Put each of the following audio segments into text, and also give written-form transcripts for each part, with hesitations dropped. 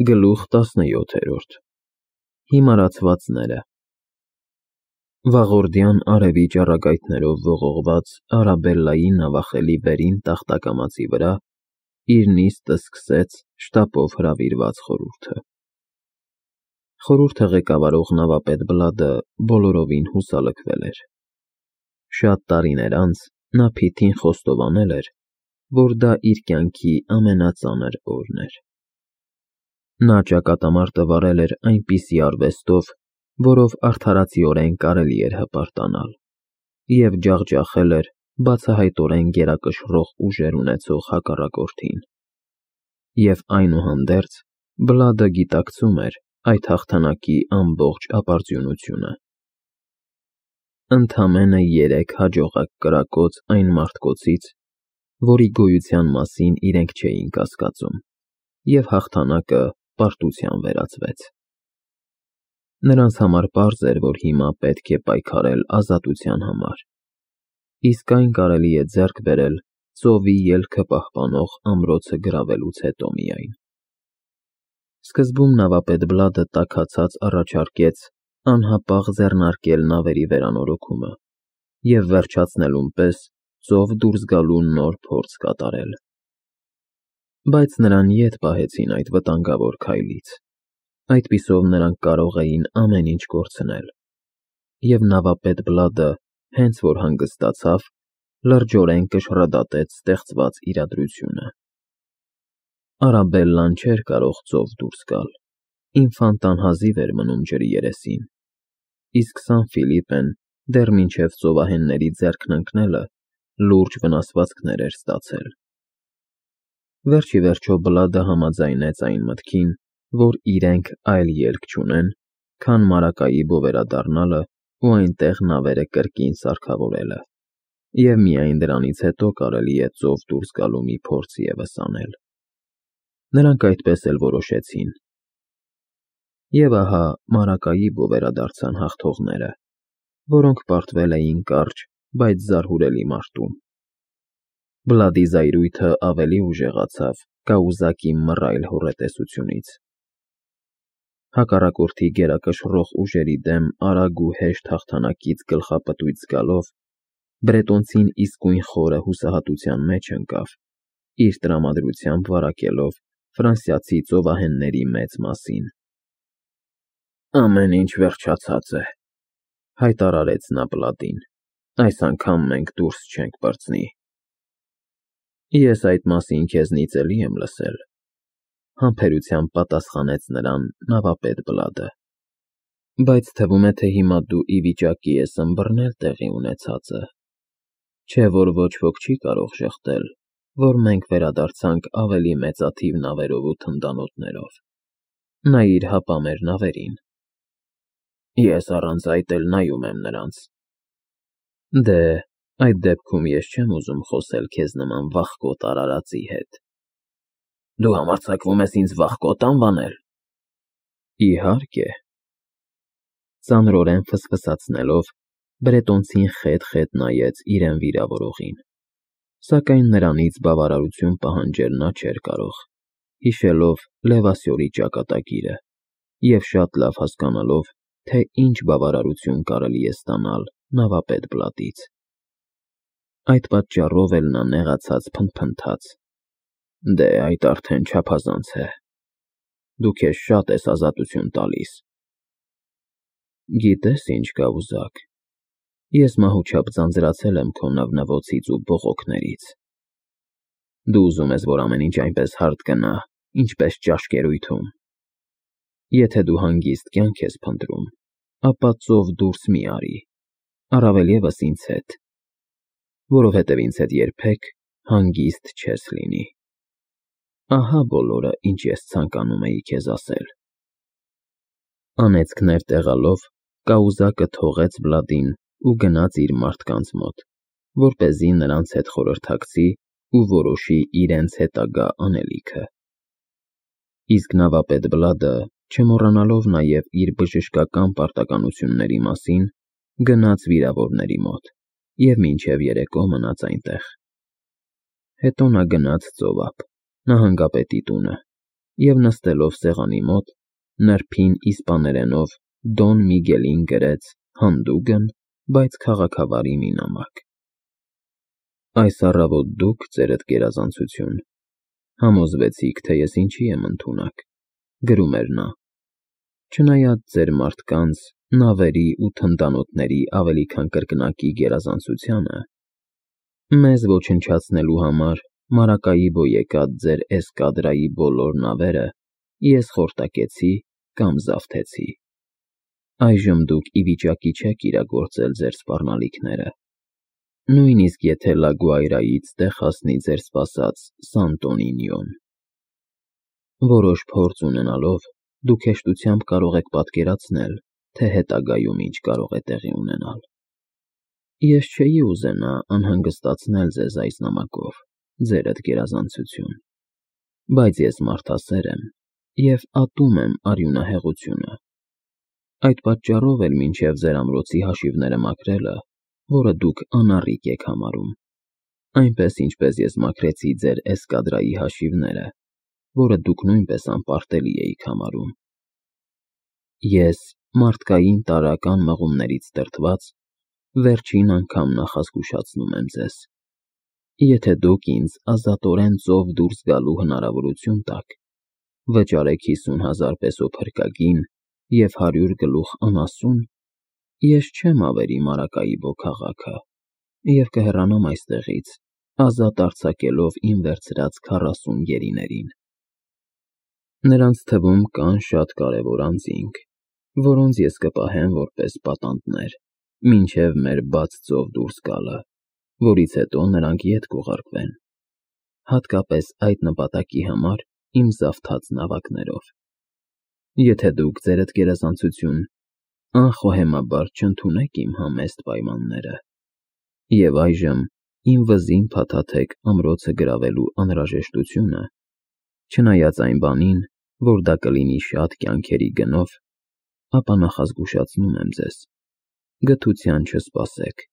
Գլուխ 17 Հիմարացվածները Վաղորդյան արևի ճառագայթներով ողողված Արաբելլայի նավախելի վերին տախտակամածի վրա իր նիստը սկսեց շտապով հրավիրված խորհուրդը։ Խորհուրդը ղեկավարող նավապետ Բլադը բոլորովին հուսալքվել էր։ Շատ տարիներ անց նա փիթին խոստովանել էր, որ դա իր կյանքի ամենածանր օրն էր։ Նա ճակատամարտը վարել էր այնպիսի արվեստով, որով արդարացիորեն կարելի էր հպարտանալ, և ջախջախել էր բացահայտորեն գերակշռող ուժեր ունեցող հակառակորդին։ Եվ այնուհանդերձ Բլադը գիտակցում էր այդ հաղթանակի ամբողջ ապարդյունությունը։ Ընդամենը 3 հաջողակ կրակոց այն մարդկոցից, որի գոյության մասին իրենք չէին կասկածում, և հաղթանակը պարտության վերածվեց։ Նրանց համար պարզ էր, որ հիմա պետք է պայքարել ազատության համար, իսկ այն կարելի է ձեռք բերել ծովի ելքը պահպանող ամրոցը գրավելուց հետո միայն։ Սկզբում նավապետ Բլադը տաքացած առաջարկեց անհապաղ ձեռնարկել նավերի վերանորոգումը և վերջացնելուն պես ծով դուրս գալու նոր փորձ կատարել։ Բայց նրան ետ պահեցին այդ վտանգավոր քայլից։ Այդպիսով նրանք կարող էին ամեն ինչ կորցնել։ Եվ նավապետ Բլադը, հենց որ հանգստացավ, լրջորեն կշռադատեց ստեղծված իրադրությունը։ Արաբելլան չէր կարող ծով դուրս գալ, ինֆանտան հազիվ էր մնում ջրի երեսին, իսկ Սան Ֆիլիպեն դեռ մինչև ծովահենների ձեռքն ընկնելը լուրջ վնասվածքներ էր ստացել։ Վերջիվերջո Բլադը համաձայնեց այն մտքին, որ իրենք այլ ելք չունեն, քան Մարակայի բովերադառնալը ու այնտեղ նավերը կրկին սարքավորելը, և միայն դրանից հետո կարելի է ծով դուրս գալու մի փորձ ևս անել։ Նրանք այդպես էլ որոշեցին։ Եվ ահա Մարակայի բովերադարձան հաղթողները, որոնք պարտվել էին կարճ, բայց զարհուրելի մարտում։ Բլադի զայրույթը ավելի ուժեղացավ կաուզակի մռայլ հոռետեսությունից։ Հակառակորդի գերակշռող ուժերի դեմ արագ ու հեշտ հաղթանակից գլխապտույտ զգալով, բրետոնցին իսկույն խորը հուսահատության մեջ ընկավ, իր տրամադրությամբ վարակելով ֆրանսիացի ծովահենների մեծ մասին։ «Ամեն ինչ վերջացած է», հայտարարեց նա Բլադին, «այս անգամ մենք դուրս չենք պրծնի»։ «Ես այդ մասին քեզնից էլի եմ լսել», համբերությամբ պատասխանեց նրան նավապետ Բլադը, «բայց թվում է, թե հիմա դու ի վիճակի ես ըմբռնել տեղի ունեցածը, չէ՞ որ ոչ ոք չի կարող ժխտել, որ մենք վերադարձանք ավելի մեծաթիվ նավերով ու թնդանոթներով։ Նայիր հապա մեր նավերին»։ «Ես առանց այդ էլ նայում եմ նրանց»։ «Դե, այդ դեպքում ես չեմ ուզում խոսել քեզ նման վախկոտ արարածի հետ»։ «Դու համարձակվում ես ինձ վախկոտ անվանել»։ «Իհարկե»։ Ծանրորեն ֆսֆսացնելով, բրետոնցին խետ-խետ նայեց իրեն վիրավորողին, սակայն նրանից բավարարություն պահանջել նա չէր կարող, հիշելով Լևասյորի ճակատագիրը և շատ լավ հասկանալով, թե ինչ բավարարություն կարելի է ստանալ նավապետ Բլադից։ Այդ պատճառով էլ նա նեղացած փնթփնթաց. «Դե, այդ արդեն չափազանց է։ Դու քեզ շատ ես ազատություն տալիս»։ «Գիտես ինչ, կաուզակ, ես մահուչապ ձանձրացել եմ քո նվնվոցից ու բողոքներից։ Դու ուզում ես, որ ամեն ինչ այնպես հարթ գնա, ինչպես ճաշկերույթում։ Եթե դու հանգիստ կյանք ես փնտրում, ապա ծով դուրս մի արի, առավել ևս ինձ հետ, որովհետև ինձ հետ երբեք հանգիստ չես լինի։ Ահա բոլորը, ինչ ես ցանկանում էի քեզ ասել»։ Անեծքներ տեղալով, կաուզակը թողեց Բլադին ու գնաց իր մարդկանց մոտ, որպեսզի նրանց հետ խորհրդակցի ու որոշի իրենց հետագա անելիքը։ Իսկ նավապետ Բլադը, չմոռանալով նաև իր բժշկական պարտականությունների մասին, գնաց վիրավորների մոտ և մինչև երեկո մնաց այնտեղ։ Հետո նա գնաց ծով ափ, նահանգապետի տունը, և նստելով սեղանի մոտ, նրբին իսպաներենով Դոն Միգելին գրեց հանդուգն, բայց քաղաքավարի մի նամակ։ Այս առավոտ դուք, ձերդ գերազանցություն, համոզվեցիք, թե ես ինչի եմ ընդունակ, գրում էր նա, չնայած ձեր մարդկանց, նավերի ու թնդանոթների ավելի քան կրկնակի գերազանցությանը, մեզ ոչնչացնելու համար Մարակայիբո եկած ձեր էսկադրայի բոլոր նավերը ես խորտակեցի կամ զավթեցի։ Այժմ դուք ի վիճակի չեք իրագործել ձեր սպառնալիքները, նույնիսկ եթե Լա Գուայրայից տեղ հասնի ձեր սպասած Սանտոնինիոն։ Որոշ փորձ ունենալով, դուք հեշտությամբ կարող եք պատկերացնել, թե հետագայում ինչ կարող է տեղի ունենալ։ Ես չէի ուզենա անհանգստացնել ձեզ այս նամակով, ձերդ գերազանցություն, բայց ես մարդասեր եմ և ատում եմ արյունահեղությունը։ Այդ պատճառով էլ մինչև ձեր ամրոցի հաշիվները մաքրելը, որը դուք անառիկ եք համարում, այնպես ինչպես ես մաքրեցի ձեր էսկադրայի հաշիվները, որը դուք նույնպես անպարտելի էիք համարում, ես մարդկային տարրական մղումներից դրդված, վերջին անգամ նախազգուշացնում եմ ձեզ. եթե դուք ինձ ազատորեն ծով դուրս գալու հնարավորություն տաք, վճարեք 50,000 պեսո փրկագին և 100 գլուխ անասուն, ես չեմ ավերի Մարակայիբո քաղաքը և կհեռանամ այստեղից, ազատ արձակելով իմ վերցրած 40 գերիներին։ Նրանց թվում կան շատ կարևոր անձինք, որոնց ես կպահեմ որպես պատանդներ, մինչև մեր բաց ծով դուրս գալը, որից հետո նրանք ետ կուղարկվեն, հատկապես այդ նպատակի համար իմ զավթած նավակներով։ Եթե դուք, ձերդ գերազանցություն, անխոհեմաբար չընդունեք իմ համեստ պայմանները, և այժմ իմ վզին փաթաթեք ամրոցը գրավելու անհրաժեշտությունը, չնայած այն բանին, որ դա կլինի շատ կյանքերի գնով, ապա նախազգուշացնում եմ ձեզ, գթության չսպասեք։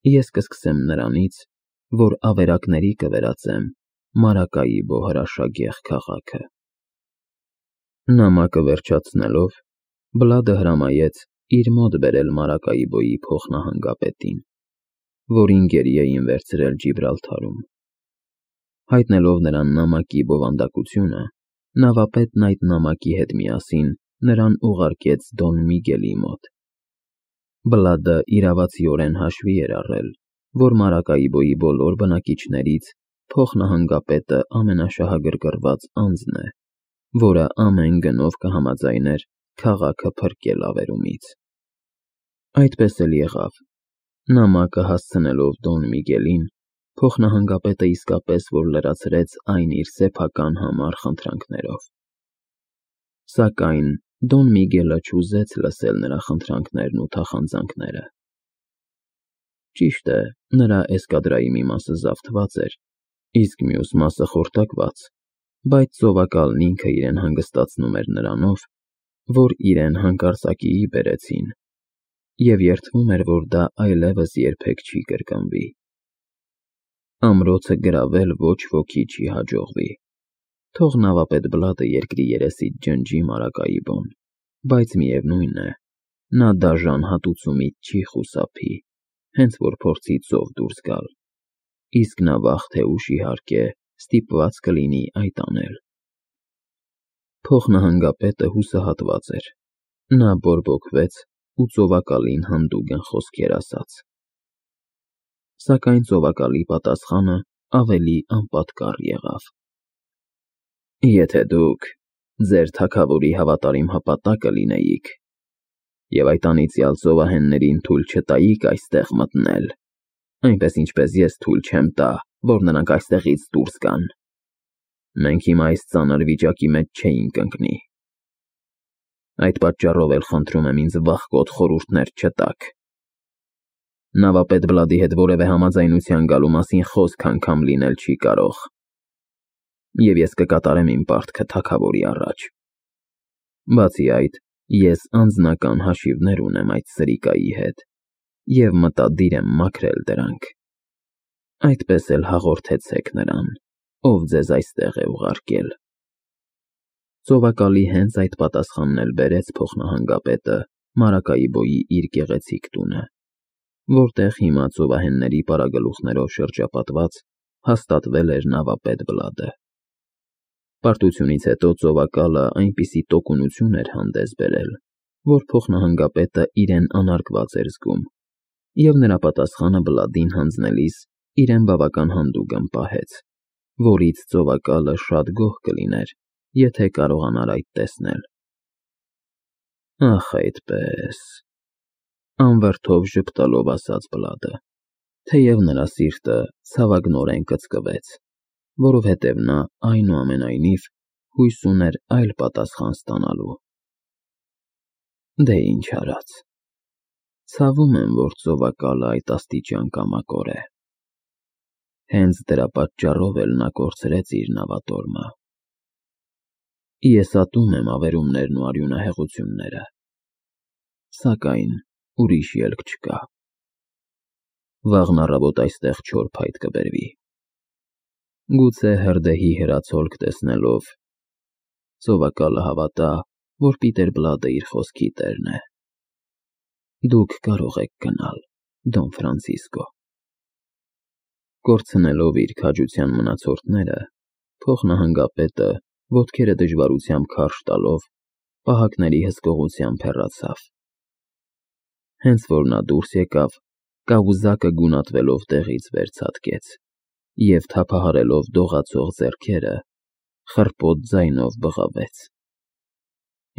Ես կսկսեմ նրանից, որ ավերակների կվերածեմ Մարակայիբո հրաշագեղ քաղաքը։ Նամակը վերջացնելով, Բլադը հրամայեց իր մոտ բերել Մարակայիբոյի փոխնահանգապետին, որին գերի էին վերցրել Ջիբրալթարում։ Հայտնելով նրան նամակի բովանդակությունը, նավապետն այդ նամակի հետ միասին նրան ուղարկեց Դոն Միգելի մոտ։ Բլադը իրավացիորեն հաշվի էր առել, որ Մարակայիբոյի բոլոր բնակիչներից փոխնահանգապետը ամենաշահագրգռված անձն է, որը ամեն գնով կհամաձայներ քաղաքը փրկել ավերումից։ Այդպես էլ եղավ։ Նամակը հասցնելով Դոն Միգելին, փոխնահանգապետը իսկապես որ լրացրեց այն իր սեփական համար խնդրանքներով։ Սակայն Դոն Միգելը չուզեց լսել նրա խնդրանքներն ու թախանձանքները։ Ճիշտ է, նրա էսկադրայի մի մասը զավթված էր, իսկ մյուս մասը խորտակված, բայց ծովակալն ինքը իրեն հանգստացնում էր նրանով, որ իրեն հանկարծակիի բերեցին, և երդվում էր, որ դա այլևս երբեք չի կրկնվի։ Ամրոցը գրավել ոչ ոքի չի հաջողվի։ Թող նավապետ Բլադը երկրի երեսից ջնջի Մարակայիբոն, բայց միևնույն է, նա դաժան հատուցումից չի խուսափի, հենց որ փորձի ծով դուրս գալ, իսկ նա վաղ թե ուշ իհարկե ստիպված կլինի այդ անել։ Փոխնահանգապետը հուսահատված էր, նա բորբոքվեց ու ծովակալին հանդուգն խոսքեր ասաց։ Սակայն ծովակալի պատասխանը ավելի անպատկառ եղավ։ Եթե դուք ձեր թագավորի հավատարիմ հպատակը լինեիք և այդ անիծյալ ծովահեններին թույլ չտայիք այստեղ մտնել, այնպես ինչպես ես թույլ չեմ տա, որ նրանք այստեղից դուրս գան, մենք հիմա այս ծանր վիճակի մեջ չէինք ընկնի։ Այդ պատճառով էլ խնդրում եմ ինձ վախկոտ խորհուրդներ չտաք։ Նավապետ Բլադի հետ որևէ համաձայնության գալու մասին խոսք անգամ լինել չի կարող, և ես կկատարեմ իմ պարտքը թագավորի առաջ։ Բացի այդ, ես անձնական հաշիվներ ունեմ այդ սրիկայի հետ և մտադիր եմ մաքրել դրանք։ Այդպես էլ հաղորդեցեք նրան, ով ձեզ այստեղ է ուղարկել։ Ծովակալի հենց այդ պատասխանն էլ բերեց փոխնահանգապետը Մարակայիբոյի իր գեղեցիկ տունը, որտեղ հիմա ծովահենների պարագլուխներով շրջապատված հաստատվել էր նավապետ Բլադը։ Պարտությունից հետո ծովակալը այնպիսի տոկունություն էր հանդես բերել, որ փոխնահանգապետը իրեն անարգված էր զգում, և նրա պատասխանը Բլադին հանձնելիս իրեն բավական հանդուգն պահեց, որից ծովակալը շատ գոհ կլիներ, եթե կարողանար այդ տեսնել։ Ախ, այդպես, անվրդով ժպտալով ասաց Բլադը, թեև նրա սիրտը ցավագնորեն կծկվեց, որովհետև նա այնուամենայնիվ հույս ուներ այլ պատասխան ստանալու։ Դե ինչ արած, ցավում եմ, որ ծովակալը այդ աստիճան կամակոր է։ Հենց դրա պատճառով էլ նա կորցրեց իր նավատորմը։ Ես ատում եմ ավերումներն ու արյունահեղությունները, սակայն ուրիշ ելք չկա։ Վաղն առավոտ այստեղ չոր փայտ կբերվի։ Գուցե հրդեհի հրացոլք տեսնելով ծովակալը հավատա, որ Պիտեր Բլադը իր խոսքի տերն է։ Դուք կարող եք գնալ, Դոն Ֆրանցիսկո։ Կորցնելով իր քաջության մնացորդները, փոխնահանգապետը ոտքերը դժվարությամբ քարշ տալով պահակների հսկողությամբ հեռացավ։ Հենց որ նա դուրս եկավ, կաղուզակը գունատվելով տեղից վեր ցատկեց և թափահարելով դողացող ձեռքերը, խռպոտ ձայնով բղավեց.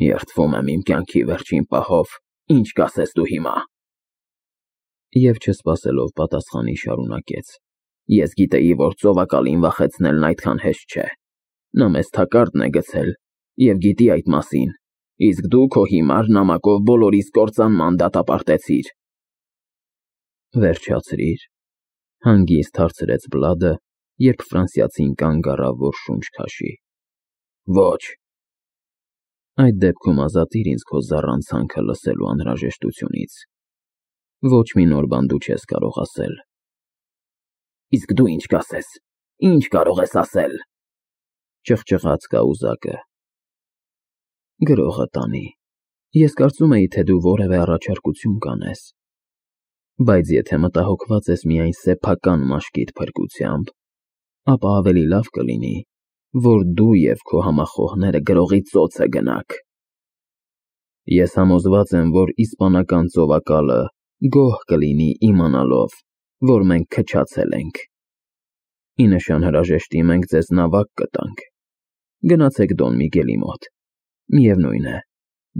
Երդվում եմ իմ կյանքի վերջին պահով, ինչ կասես դու հիմա։ Եվ չսպասելով պատասխանի շարունակեց. Ես գիտեի, որ ծովակալին վախեցնելն այդքան հեշտ չէ։ Նա մեզ թակարդն է գցել և գիտի այդ մասին, իսկ դու քո հիմար նամակով բոլորիս կործանման դատապարտեցիր։ Վերջացրիր, հանգիստ հարցրեց Բլադը, երբ ֆրանսիացին կանգ առավ, որ շունչ քաշի։ Ոչ։ Այդ դեպքում ազատիր ինձ քո զառանցանքը լսելու անհրաժեշտությունից։ Ոչ մի նոր բան դու չես կարող ասել։ Իսկ դու ինչ կասես, ինչ կարող ես ասել, ճղճղաց կաղուզակը։ Գրողը տանի, ես կարծում էի, թե դու որևէ առաջարկություն կանես, բայց եթե մտահոգված ես միայն սեփական մաշկիդ փրկությամբ, ապա ավելի լավ կլինի, որ դու և քո համախոհները գրողի ծոցը գնաք։ Ես համոզված եմ, որ իսպանական ծովակալը գոհ կլինի իմանալով, որ մենք քչացել ենք։ Ի նշան հրաժեշտի մենք ձեզ նավակ կտանք։ Գնացեք Դոն Միգելի մոտ։ Միևնույն է,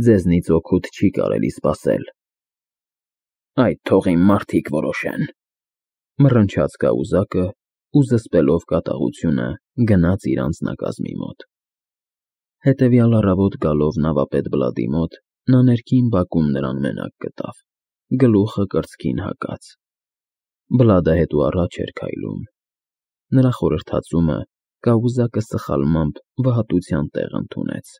ձեզնից օգուտ չի կարելի սպասել։ Այդ թող իմ մարդիկ որոշեն, մռնչաց կաղուզակը ու զսպելով կատաղությունը գնաց իր անձնակազմի մոտ։ Հետևյալ առավոտ գալով նավապետ Բլադի մոտ, նա ներքին բակում նրան մենակ գտավ, գլուխը կրծքին հակած։ Բլադը հետո առաջ էր քայլում։ Նրա խորհրդածումը կաղուզակը սխալմամբ վհատության տեղ ընդունեց։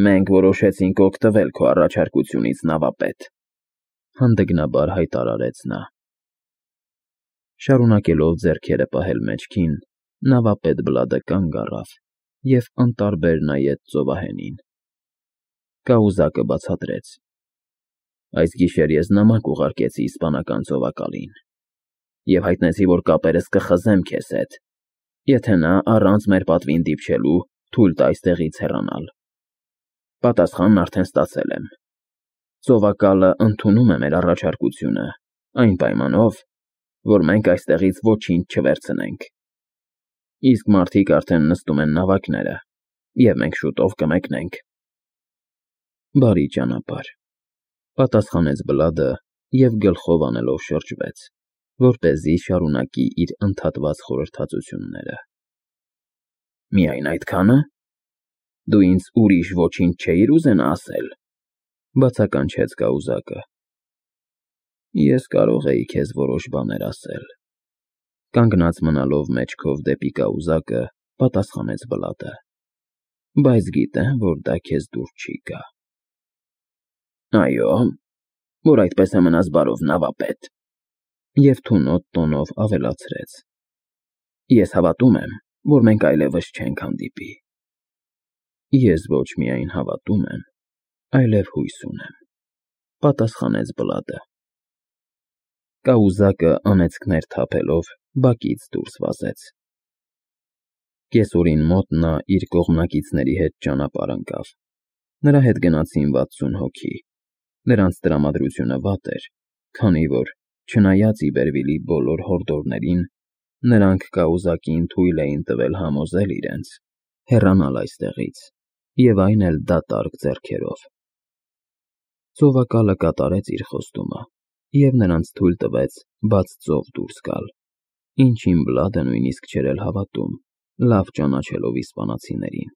Մենք որոշեցինք օգտվել քո առաջարկությունից, նավապետ, հանդգնաբար հայտարարեց նա։ Շարունակելով ձեռքերը պահել մեջքին, նավապետ Բլադը կանգ առավ և անտարբեր նայեց ծովահենին։ Կաղուզակը բացատրեց. Այս գիշեր ես նամակ ուղարկեցի իսպանական ծովակալին և հայտնեցի, որ կապերս կխզեմ քեզ հետ, եթե նա առանց մեր պատվին դիպչելու թույլ տա այստեղից հեռանալ։ Պատասխանն արդեն ստացել եմ։ Ծովակալը ընդունում է մեր առաջարկությունը, այն պայմանով, որ մենք այստեղից ոչինչ չվերցնենք։ Իսկ մարդիկ արդեն նստում են նավակները, և մենք շուտով կմեկնենք։ Բարի ճանապարհ, պատասխանեց Բլադը և գլխով անելով շրջվեց, որպեսզի շարունակի իր ընդհատված խորհրդածությունները։ Միայն այդքա՞ն։ Դու ինձ ուրիշ ոչինչ չէիր ուզենա ասել, բացականչեց կաղուզակը։ Ես կարող էի քեզ որոշ բաներ ասել։ Կանգնած մնալով մեջքով դեպի կաղուզակը, պատասխանեց Բլադը, բայց գիտեմ, որ դա քեզ դուր չի գա։ Այո, որ այդպես է մնաս բարով, նավապետ։ Եվ թունոտ տոնով ավելացրեց. Ես հավատում եմ, որ մենք այլևս չենք հանդիպի։ Ես ոչ միայն հավատում եմ, այլև հույս ունեմ, պատասխանեց Բլադը։ Կաուզակը անեծքներ թափելով բակից դուրս վազեց։ Կեսօրին մոտ նա իր կողմնակիցների հետ ճանապարհ ընկավ։ Նրա հետ գնացին 60 հոգի։ Նրանց տրամադրությունը վատ էր, քանի որ, չնայած Իբերվիլի բոլոր հորդորներին, նրանք կաուզակին թույլ էին տվել համոզել իրենց, հեռանալ այստեղից, և այն էլ դատարկ ձեռքերով։ Ծովակալը կատարեց իր խոստումը և նրանց թույլ տվեց բաց ծով դուրս գալ, ինչին Բլադը նույնիսկ չէր էլ հավատում, լավ ճանաչելով իսպանացիներին։